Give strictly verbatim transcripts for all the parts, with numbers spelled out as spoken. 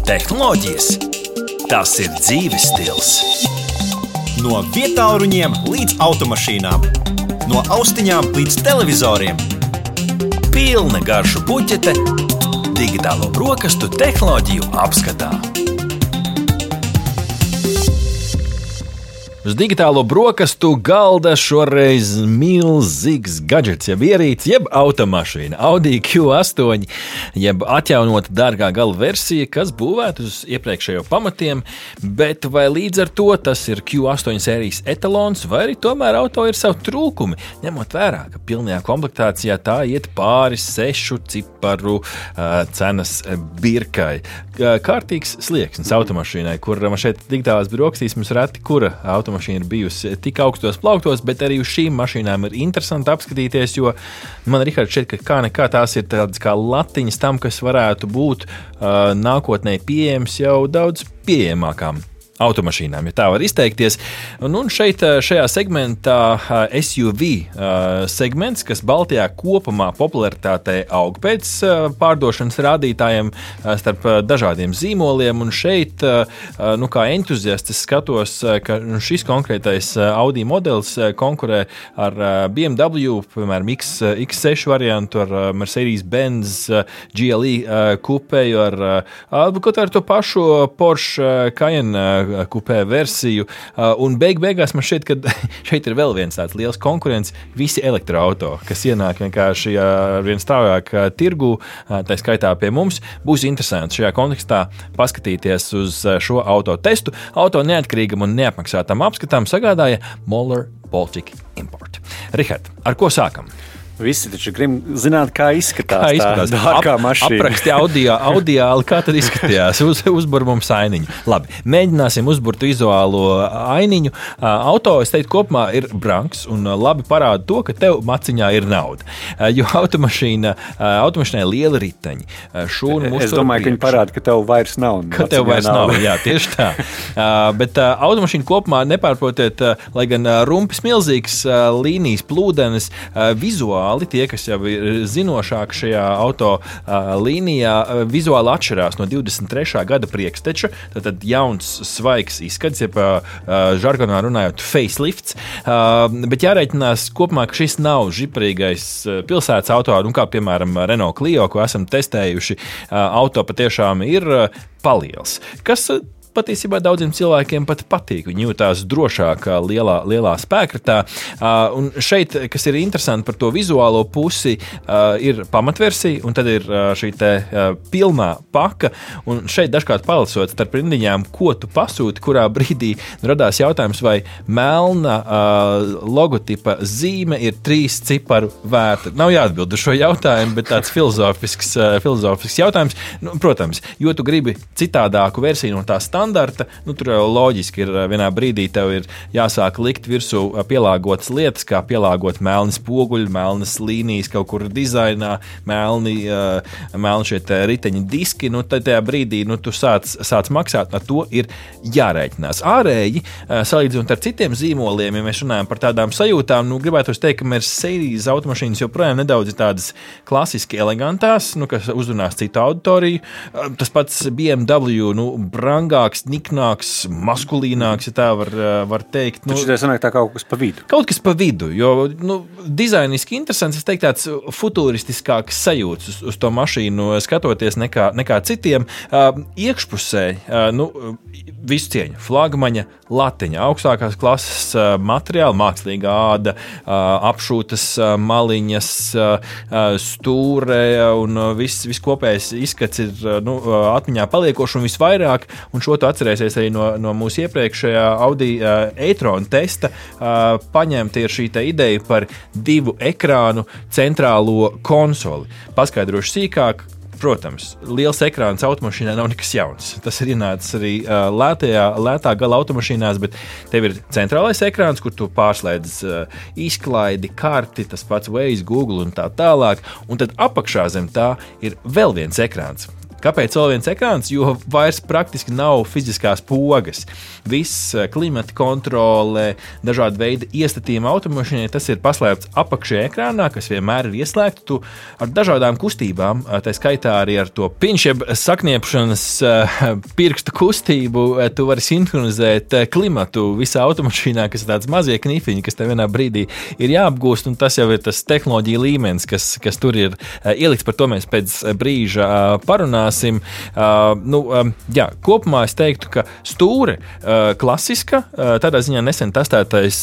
Tehnoloģijas, tas ir dzīves stils. No vietāluņiem līdz automašīnām, no austiņām līdz televizoriem. Pilna garšu puķete digitālo brokastu tehnoloģiju apskatā. Uz digitālo brokastu galda šoreiz milzīgs gadžets, jeb ierīce, jeb automašīna. Audi Q astoņi, jeb atjaunota dārgā gala versija, kas būvēta uz iepriekšējo pamatiem, bet vai līdz ar to tas ir Q astoņi sērijas etalons, vai arī tomēr auto ir savu trūkumi, ņemot vērā, ka pilnajā komplektācijā tā iet pāri sešu ciparu uh, cenas birkai. Kārtīgs slieksnis automašīnai, kur man šeit digitālās brokastīs mums reti, kura automašīna mašīna ir bijusi tik augstos plauktos, bet arī uz šīm mašīnām ir interesanti apskatīties, jo man, Rihards, šķiet, ka kā nekā tās ir tādas kā latiņas tam, kas varētu būt uh, nākotnē pieejams jau daudz pieejamākām automašīnām, ja tā var izteikties. Un, un šeit šajā segmentā S U V segments, kas Baltijā kopumā popularitātē aug pēc pārdošanas rādītājiem starp dažādiem zīmoliem, un šeit, nu kā entuziasts, es skatos, ka šis konkrētais Audi modelis konkurē ar B M W, piemēram, X, X seši variantu, ar Mercedes-Benz G L E kupēju, ar kaut ar to pašu Porsche Cayenne kupē versiju, un beig beigās man šķiet, ka šeit ir vēl viens tāds liels konkurents, visi elektroauto, kas ienāk vienkārši vien stāvāk tirgu, tā skaitā pie mums. Būs interesanti šajā kontekstā paskatīties uz šo auto testu. Auto neatkarīgam un neapmaksātam apskatām sagādāja Moller Baltic Import. Rihard, ar ko sākam? Visi taču grib zināt, kā izskatās, kā izskatās. Tā dārgā mašīna. Apraksti audio, audiāli, kā tad izskatījās. Uz, uzbur mums ainiņu. Labi, mēģināsim uzburt vizuālo ainiņu. Auto, es teiktu, kopumā ir brangs un labi parāda to, ka tev maciņā ir nauda. Jo automašīna, automašīnai liela riteņi. Šūnu es domāju, ka viņi parāda, ka tev vairs nav. Ka tev vairs nav, nav. Jā, tieši tā. Bet automašīna kopumā nepārprotiet, lai gan rumpis milzīgs, līnijas plūdenes, vizuāli tie, kas jau ir zinošāki šajā auto uh, līnijā, uh, vizuāli atšķirās no divdesmit trešā gada priekšteča, tad jauns, svaigs izskats, jeb uh, žargonā runājot facelifts, uh, bet jārēķinās kopumā, ka šis nav žiprīgais uh, pilsētas auto, un kā piemēram Renault Clio, ko esam testējuši, uh, auto patiešām ir uh, paliels. Kas uh, patiesībā daudziem cilvēkiem pat patīk. Viņi jūtās drošāk lielā, lielā spēkratā. Uh, un šeit, kas ir interesanti par to vizuālo pusi, uh, ir pamatversija, un tad ir uh, šī te uh, pilnā paka. Un šeit dažkārt palasot starp rindiņām, ko tu pasūti, kurā brīdī radās jautājums, vai melna uh, logotipa zīme ir trīs ciparu vērta. Nav jāatbild uz šo jautājumu, bet tāds filozofisks, uh, filozofisks jautājums. Nu, protams, jo tu gribi citādāku versiju no tā standarta, Standarta, nu, tur jau loģiski ir vienā brīdī tev ir jāsāk likt virsū pielāgotas lietas, kā pielāgot melni spoguļi, melnas līnijas kaut kur dizainā, melni, uh, melni šie riteņi diski, nu, tad tajā brīdī, nu, tu sāc, sāc maksāt, ar to ir jārēķinās. Ārēji, uh, salīdzinot ar citiem zīmoliem, ja mēs runājam par tādām sajūtām, nu, gribētu teikt, ka Mercedes automašīnas joprojām nedaudz ir tādas klasiski elegantās, nu, kas uzrunās citu auditoriju. Uh, tas pats B M W, nu, brangāk, niknāks, maskulīnāks, ja tā var, var teikt. Nu, taču tā sanāk tā kaut kas pa vidu. Kaut kas pa vidu, jo nu, dizainiski interesants, es teiktu, tāds futuristiskāks sajūts uz, uz to mašīnu skatoties nekā, nekā citiem. Uh, iekšpusē, uh, nu, visu cieņu, flagmaņa latiņa, augstākās klases uh, materiāli, mākslīgā āda, uh, apšūtas uh, maliņas, uh, stūre un uh, viss, viss kopējais izskats ir uh, nu, atmiņā paliekoši un visvairāk, un šo tu atcerēsies arī no, no mūsu iepriekšējā Audi uh, e-tron testa, uh, paņemta ir šī ideja par divu ekrānu centrālo konsoli. Paskaidrošu sīkāk. Protams, liels ekrāns automašīnā nav nekas jauns. Tas ir ienācis arī uh, lētajā, lētā gala automašīnās, bet tev ir centrālais ekrāns, kur tu pārslēdz uh, izklaidi, karti, tas pats Waze, Google un tā tālāk. Un tad apakšā zem tā ir vēl viens ekrāns, Kāpēc vēl viens ekrāns? Jo vairs praktiski nav fiziskās pogas. Viss klimata kontrole, dažādi veidi iestatījumi automašīnai, tas ir paslēpts apakšējā ekrānā, kas vienmēr ir ieslēgts. Tu ar dažādām kustībām, tā skaitā arī ar to piņš, jeb sakniepšanas pirkstu kustību, tu vari sinhronizēt klimatu visā automašīnā, kas ir tāds mazie knifiņi, kas tev vienā brīdī ir jāapgūst, un tas jau ir tas tehnoloģija līmenis, kas, kas tur ir ielikts. Par to mēs pēc brīža parunāsim. Nu, jā, kopumā es teiktu, ka stūre klasiska, tādā ziņā nesen testētais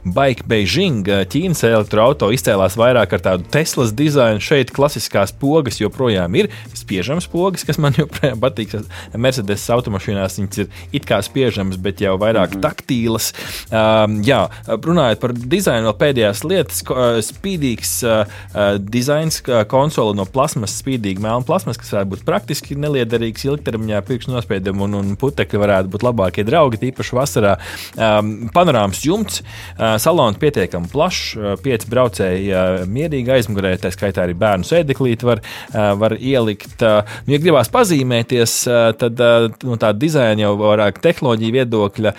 Bike Beijing Ķīnas elektroauto izcēlās vairāk ar tādu Teslas dizainu. Šeit klasiskās pogas joprojām ir spiežamas pogas, kas man joprojām patīk. Mercedes automašīnās viņas ir it kā spiežamas, bet jau vairāk mm-hmm. taktīlas. Jā, runājot par dizainu, vēl pēdējās lietas, spīdīgs dizains, konsole no plasmas, spīdīga melna plasmas, kas varētu būt praktiski neliederīgs ilgtermiņā, pirkstu nospiedumi un, un putekļi varētu būt labākie draugi, tīpaši vasarā. Panorāmas jumts, salons pietiekami plašs, pieci braucēji mierīgi aizmugurē, tā skaitā arī bērnu sēdeklīti var, var ielikt. Nu, ja gribās pazīmēties, tad nu, tā dizaina jau vairāk tehnoloģija viedokļa,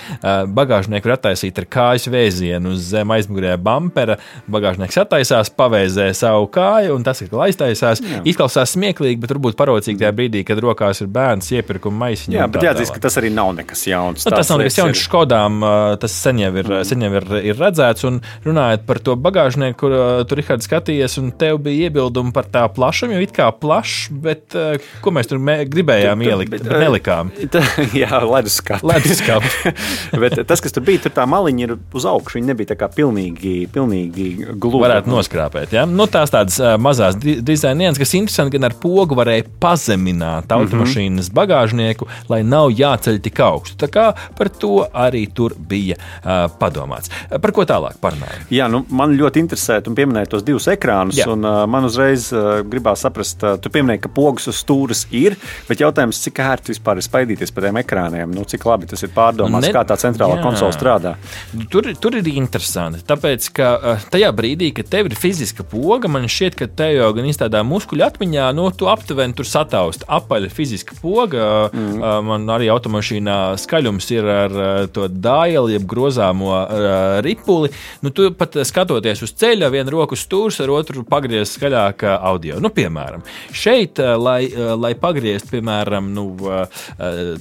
bagāžnieku var attaisīt ar kājas vēzienu uz zem aizmugurē bampera, bagāžnieks attaisās, pavēzē savu kāju, un tas, ka aiztaisās, jā. Izklausās smieklīgi, bet varbūt parocīgi tajā brīdī, kad rokās ir bērns iepirkuma maisiņu. Jā, bet jāatzīst, ka tas arī nav nekas jauns. Nu, tas nav nekas jauns Škodām, tas sen jau ir, sen jau ir, ir redzēts, un runājot par to bagāžnieku, kur tu, Rihards, skatījies, un tev bija iebildumi par tā plašumu, jo it kā plašs, bet ko mēs tur mē, gribējām tu, tu, ielikt, bet, bet nelikām. Tā, jā, leduskapi. Leduskapi. Bet tas, kas tur bija, tur tā maliņa ir uz augšu, viņa nebija tā kā pilnīgi, pilnīgi gluda. Varētu noskrāpēt, jā. Nu, tās tādas mazās dizainienas, kas interesanti, gan ar pogu varēja pazemināt automašīnas bagāžnieku, lai nav jāceļ tik augstu. Tā kā par to arī tur bija uh, padomāts. Par ko tālāk parunājam? Jā, nu, man ļoti interesētu un pieminēt tos divus ekrānus, jā. Un uh, man uzreiz uh, gribās saprast, uh, tu pieminēji, ka pogas uz stūras ir, bet jautājums, cik ērti vispār ir spaidīties pa tiem ekrāniem, nu, cik labi tas ir pārdomāts, ne, kā tā centrālā jā. Konsola strādā. Tur, tur ir interesanti, tāpēc, ka uh, tajā brīdī, kad tev ir fiziska poga, man šķiet, ka tev jau gan izstādā muskuļu atmiņā, nu, tu aptuveni tur sataust apaļa fiziska poga, mm. uh, man arī automašīnā skaļums ir ar uh, to dāieli, jeb grozāmo uh, ripuli, nu, tu pat skatoties uz ceļa, vienu roku stūrs, ar otru pagriez skaļāk uh, audio. Nu, piemēram, šeit, uh, lai, uh, lai pagriezt, piemēram, nu, uh,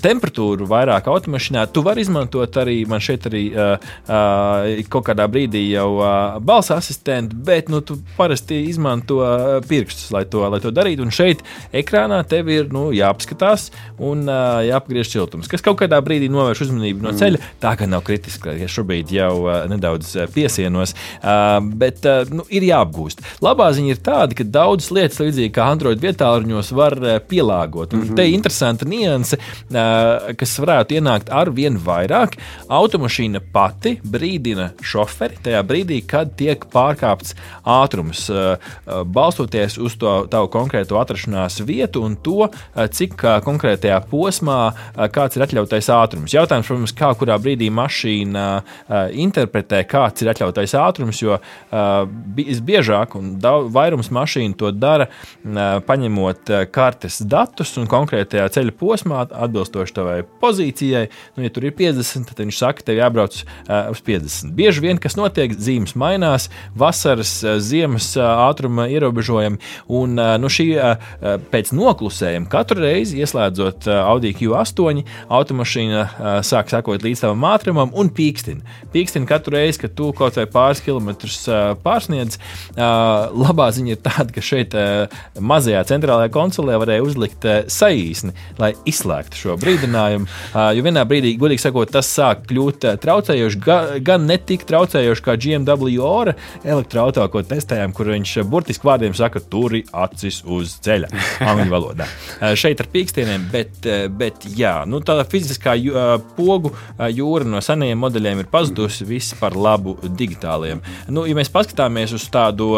temperatūru vairāk automašīnā, tu vari izmantot arī, man šeit arī uh, uh, kaut kādā brīdī jau uh, balss asistentu, bet, nu, tu parasti izmanto uh, pirkstus, lai to, lai to darītu, un šeit ekrānā tev ir, nu, jāapskatās un uh, jāapgriež siltums, kas kaut kādā brīdī novērš uzmanību no ceļa, tā kā nav kritiski, ja šobrīd jau uh, nedaudz uh, piesienos, uh, bet, uh, nu, ir jāapgūst. Labā ziņa ir tāda, ka daudzas lietas, līdzīgi kā Android vietāluņos, var uh, pielāgot, un mm-hmm. te ir interesanta nianse, uh, kas varētu ienākt ar vien vairāk. Automašīna pati brīdina šoferi tajā brīdī, kad tiek pārkāpts ātrums, uh, uh, balstoties uz to tavu konkrēto atrašanās vietu un to, cik konkrētajā posmā kāds ir atļautais ātrums. Jautājums, protams, kā kurā brīdī mašīna interpretē, kāds ir atļautais ātrums, jo visbiežāk un vairums mašīnu to dara, paņemot kartes datus un konkrētajā ceļa posmā atbilstoši tavai pozīcijai. Nu, ja tur ir piecdesmit, tad viņš saka, tev jābrauc uz piecdesmit. Bieži vien, kas notiek, zīmes mainās, vasaras, ziemas ātruma ierobežojumi, un nu, šī pēc noklusējuma katru reizi, ieslēdzot Audi Q astoņi, automašīna sāk sekot līdz tavam ātrumam un pīkstina. Pīkstina katru reizi, kad tu kaut vai pāris kilometrus pārsniedz. Labā ziņa ir tāda, ka šeit mazajā centrālajā konsolē varēja uzlikt saīsni, lai izslēgtu šo brīdinājumu, jo vienā brīdī, godīgi sakot, tas sāk kļūt traucējoši, gan ne tik traucējoši kā G M W Ora elektroauto, ko testējām, kur viņš burtiski vārdiem saka, turi acis uz ceļa, angļu valodā. Šeit ar pīkstieniem, bet, bet jā, nu tā fiziskā pogu jūra no senajiem modeļiem ir pazudusi, viss par labu digitāliem. Nu, ja mēs paskatāmies uz tādu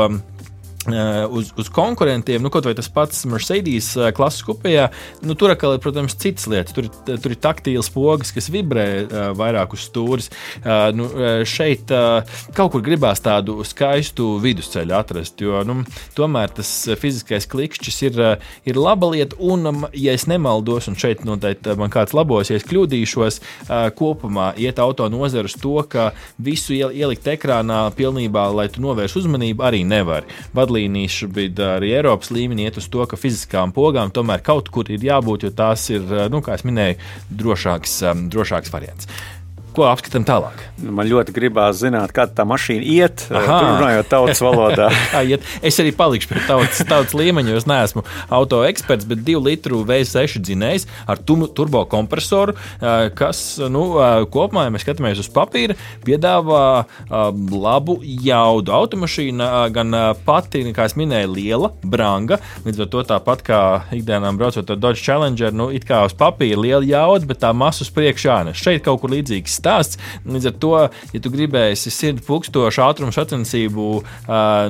Uz, uz konkurentiem, nu, kaut vai tas pats Mercedes klases kupejā, nu, tur atkal ir, protams, citas lietas. Tur, tur ir taktīls pogas, kas vibrē uh, vairāk uz stūres. Uh, nu, šeit uh, kaut kur gribās tādu skaistu vidusceļu atrast, jo nu, tomēr tas fiziskais klikšķis ir, uh, ir laba lieta, un, um, ja es nemaldos, un šeit noteikti man kāds labos, ja es kļūdīšos, uh, kopumā iet auto nozara uz to, ka visu ielikt ekrānā pilnībā, lai tu novērš uzmanību, arī nevar. Vadlīnijas šobrīd arī Eiropas līmenī iet uz to, ka fiziskām pogām tomēr kaut kur ir jābūt, jo tās ir, nu, kā es minēju, drošāks, drošāks variants. Ko apskatām tālāk? Man ļoti gribās zināt, kā tā mašīna iet, Aha. runājot tautas valodā. Es arī palikšu pie tautas, tautas līmeņa, jo es neesmu auto eksperts, bet divu litru V seši dzinējs ar turbo kompresoru, kas, nu, kopumā, ja mēs skatāmies uz papīra, piedāvā labu jaudu. Automašīna gan pati, kā es minēju, liela, branga, līdz ar to tāpat kā ikdienām braucot ar Dodge Challenger, nu, it kā uz papīra liela jauda, bet tā masa uz priekšā nes. Šeit kaut kur līdzīgs stāsts. Līdz ar to, ja tu gribēsi sirdi pukstošu ātrumu sacensību uh,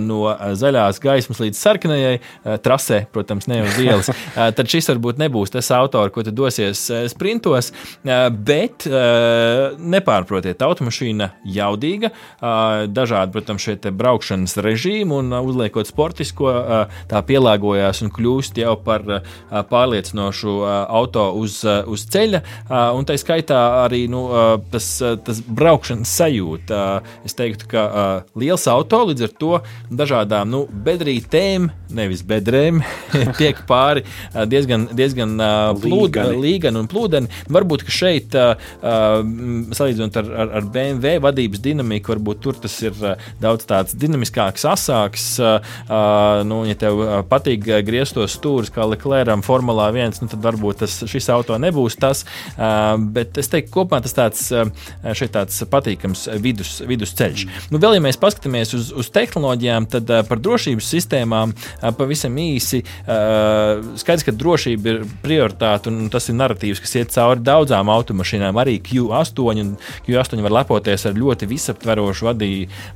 no zaļās gaismas līdz sarkanajai uh, trasē, protams, ne uz ielas, uh, tad šis varbūt nebūs tas auto, ar ko tu dosies uh, sprintos, uh, bet uh, nepārprotiet, automašīna jaudīga, uh, dažādi, protams, šie te braukšanas režīmi un uh, uzliekot sportisko, uh, tā pielāgojās un kļūst jau par uh, pārliecinošu uh, auto uz, uh, uz ceļa, uh, un tai skaitā arī, nu, uh, Tas, tas braukšanas sajūta. Es teiktu, ka uh, liels auto līdz ar to dažādām nu, bedrītēm, nevis bedrēm, tiek pāri uh, diezgan, diezgan uh, plūd, līgani un plūdeni. Varbūt, ka šeit, uh, uh, salīdzinot ar, ar, ar B M W vadības dinamiku, varbūt tur tas ir uh, daudz tāds dinamiskāks, asāks. Uh, uh, nu, ja tev uh, patīk griezt tos stūrus kā Leclercam Formulā viens, nu, tad varbūt tas, šis auto nebūs tas. Uh, bet es teiktu, kopumā tas tāds šeit tāds patīkams vidus, vidusceļš. Nu, vēl, ja mēs paskatāmies uz, uz tehnoloģijām, tad uh, par drošības sistēmām uh, pavisam īsi. Uh, skaidrs, ka drošība ir prioritāte, un tas ir narratīvs, kas iet cauri daudzām automašīnām. Arī Q astoņi, un Q astoņi var lepoties ar ļoti visaptverošu vadī,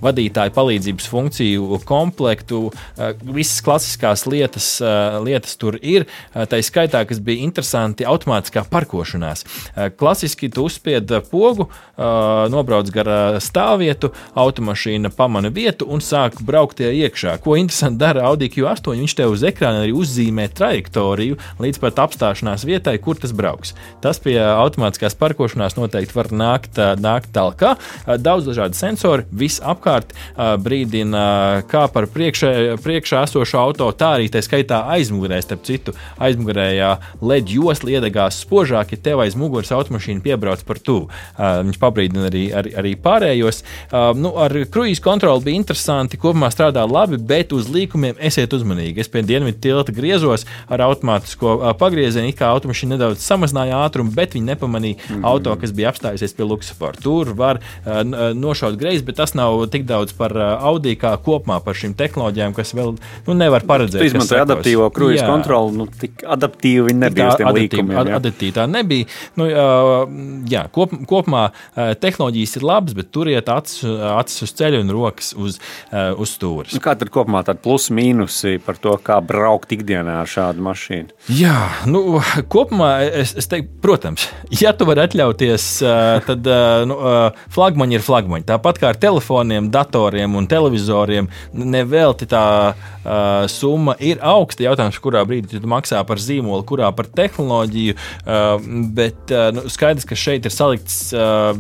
vadītāju palīdzības funkciju komplektu. Uh, visas klasiskās lietas, uh, lietas tur ir. Uh, tā skaitā, kas bija interesanti, automātiskā parkošanās. Uh, klasiski tu uzspied pogu, uh, nobrauc gar stāvvietu, automašīna pamana vietu un sāk braukt tie iekšā. Ko interesanti dara Audi Q astoņi, viņš tev uz ekrāna arī uzzīmē trajektoriju līdz pat apstāšanās vietai, kur tas brauks. Tas pie automātiskās parkošanās noteikti var nākt, nākt talkā. Daudz dažādi sensori, viss apkārt brīdina kā par priekšā, priekšā esošo auto, tā arī tā skaitā aizmugurē, starp citu, aizmugurējā L E D josla iedegās spožāk, ja tev aiz muguras automašīna piebrauc par tuvu. Uh, viņš pabrīdina arī, arī, arī pārējos. Uh, nu, ar kruīzu kontroli bija interesanti, kopumā strādā labi, bet uz līkumiem esiet uzmanīgi. Es pie dienvidu tilta griezos ar automātisko uh, pagriezienu, it kā automašīna nedaudz samazināja ātrumu, bet viņi nepamanīja mm-hmm. auto, kas bija apstājusies pie luksusforu. Tur var uh, nošaut greizi, bet tas nav tik daudz par uh, Audi kā kopumā par šīm tehnoloģijām, kas vēl nu, nevar paredzēt. Tu izmantoji adaptīvo kruīzu kontroli, nu tik adaptīvi viņi nebija uz tiem līkumiem. Ad, adaptīvi tā nebija. Nu, uh, jā, kop, kopumā tehnoloģijas ir labas, bet turiet acis, acis uz ceļa un rokas uz, uz stūres. Kā tad kopumā tādi plusi mīnusi par to, kā braukt ikdienā ar šādu mašīnu? Jā, nu, kopumā es, es teiktu, protams, ja tu vari atļauties, tad nu, flagmaņi ir flagmaņi. Tāpat kā ar telefoniem, datoriem un televizoriem, nevelti tā uh, summa ir augsta. Jautājums, kurā brīdī tu maksā par zīmolu, kurā par tehnoloģiju, uh, bet uh, nu, skaidrs, ka šeit ir salikts uh,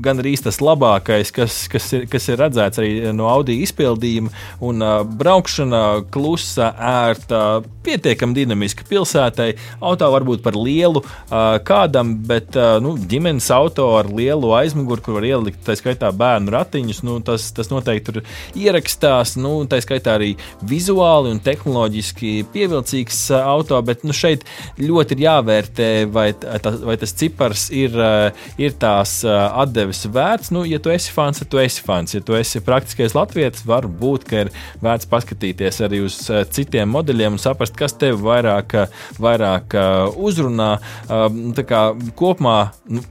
gan arī tas labākais, kas, kas, ir, kas ir redzēts arī no Audi izpildījuma, un uh, braukšana klusa, ērta, pietiekami dinamiska pilsētai. Auto varbūt par lielu uh, kādam, bet uh, nu, ģimenes auto ar lielu aizmuguru, kur var ielikt, tā skaitā bērnu ratiņus, nu, tas, tas noteikti tur ierakstās, nu, tā skaitā arī vizuāli un tehnoloģiski pievilcīgs uh, auto, bet nu, šeit ļoti ir jāvērtē, vai, tā, vai tas cipars ir, uh, ir tās uh, atdeves vērts. Nu, ja tu esi fans, tad tu esi fans. Ja tu esi praktiskais latvietis, var būt, ka ir vērts paskatīties arī uz uh, citiem modeļiem un saprast, kas tev vairāk, vairāk uh, uzrunā. Uh, tā kā kopumā, nu,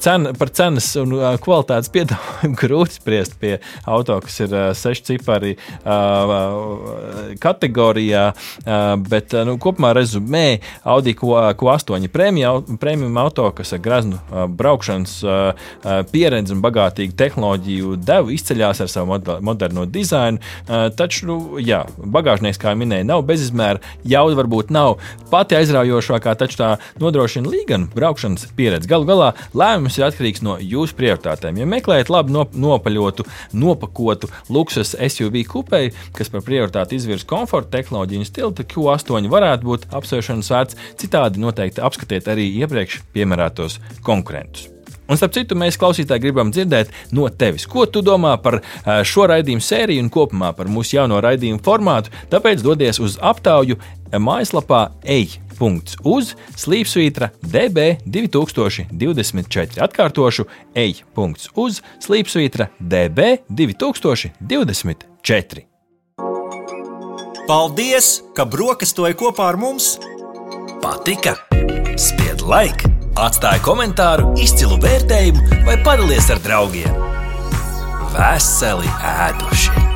Cena, par cenas un kvalitātes piedāvājumu grūti spriest pie auto, kas ir seši cipari uh, kategorijā, uh, bet uh, nu, kopumā rezumē Audi Q astoņi premium auto, kas ar graznu uh, braukšanas uh, pieredzi un bagātīgu tehnoloģiju devu izceļās ar savu moderno dizainu, uh, taču, nu, jā, bagāžnieks, kā minēja, nav bezizmēra, jauda varbūt nav pati aizraujošākā, taču tā nodrošina līganu braukšanas pieredzi. Galu galā lēmums ir atkarīgs no jūsu prioritātēm. Ja meklējat labi nopaļotu, nopakotu luksus S U V kupei, kas par prioritāti izvirs komforta, tehnoloģiju un stilu, tad Q astoņi varētu būt apsvēršanas vērts. Citādi noteikti apskatiet arī iepriekš piemērātos konkurentus. Un, starp citu, mēs klausītāji gribam dzirdēt no tevis, ko tu domā par šo raidījumu sēriju un kopumā par mūsu jauno raidījumu formātu. Tāpēc dodies uz aptauju mājaslapā ej punkts uz slīpsvītra D B divi tūkstoši divdesmit četri. Atkārtošu, ej punkts uz slīpsvītra D B divi tūkstoši divdesmit četri. Paldies, ka brokastoji kopā ar mums! Patika? Spied like! Atstāj komentāru, izcilu vērtējumu vai padalies ar draugiem. Veseli ēduši!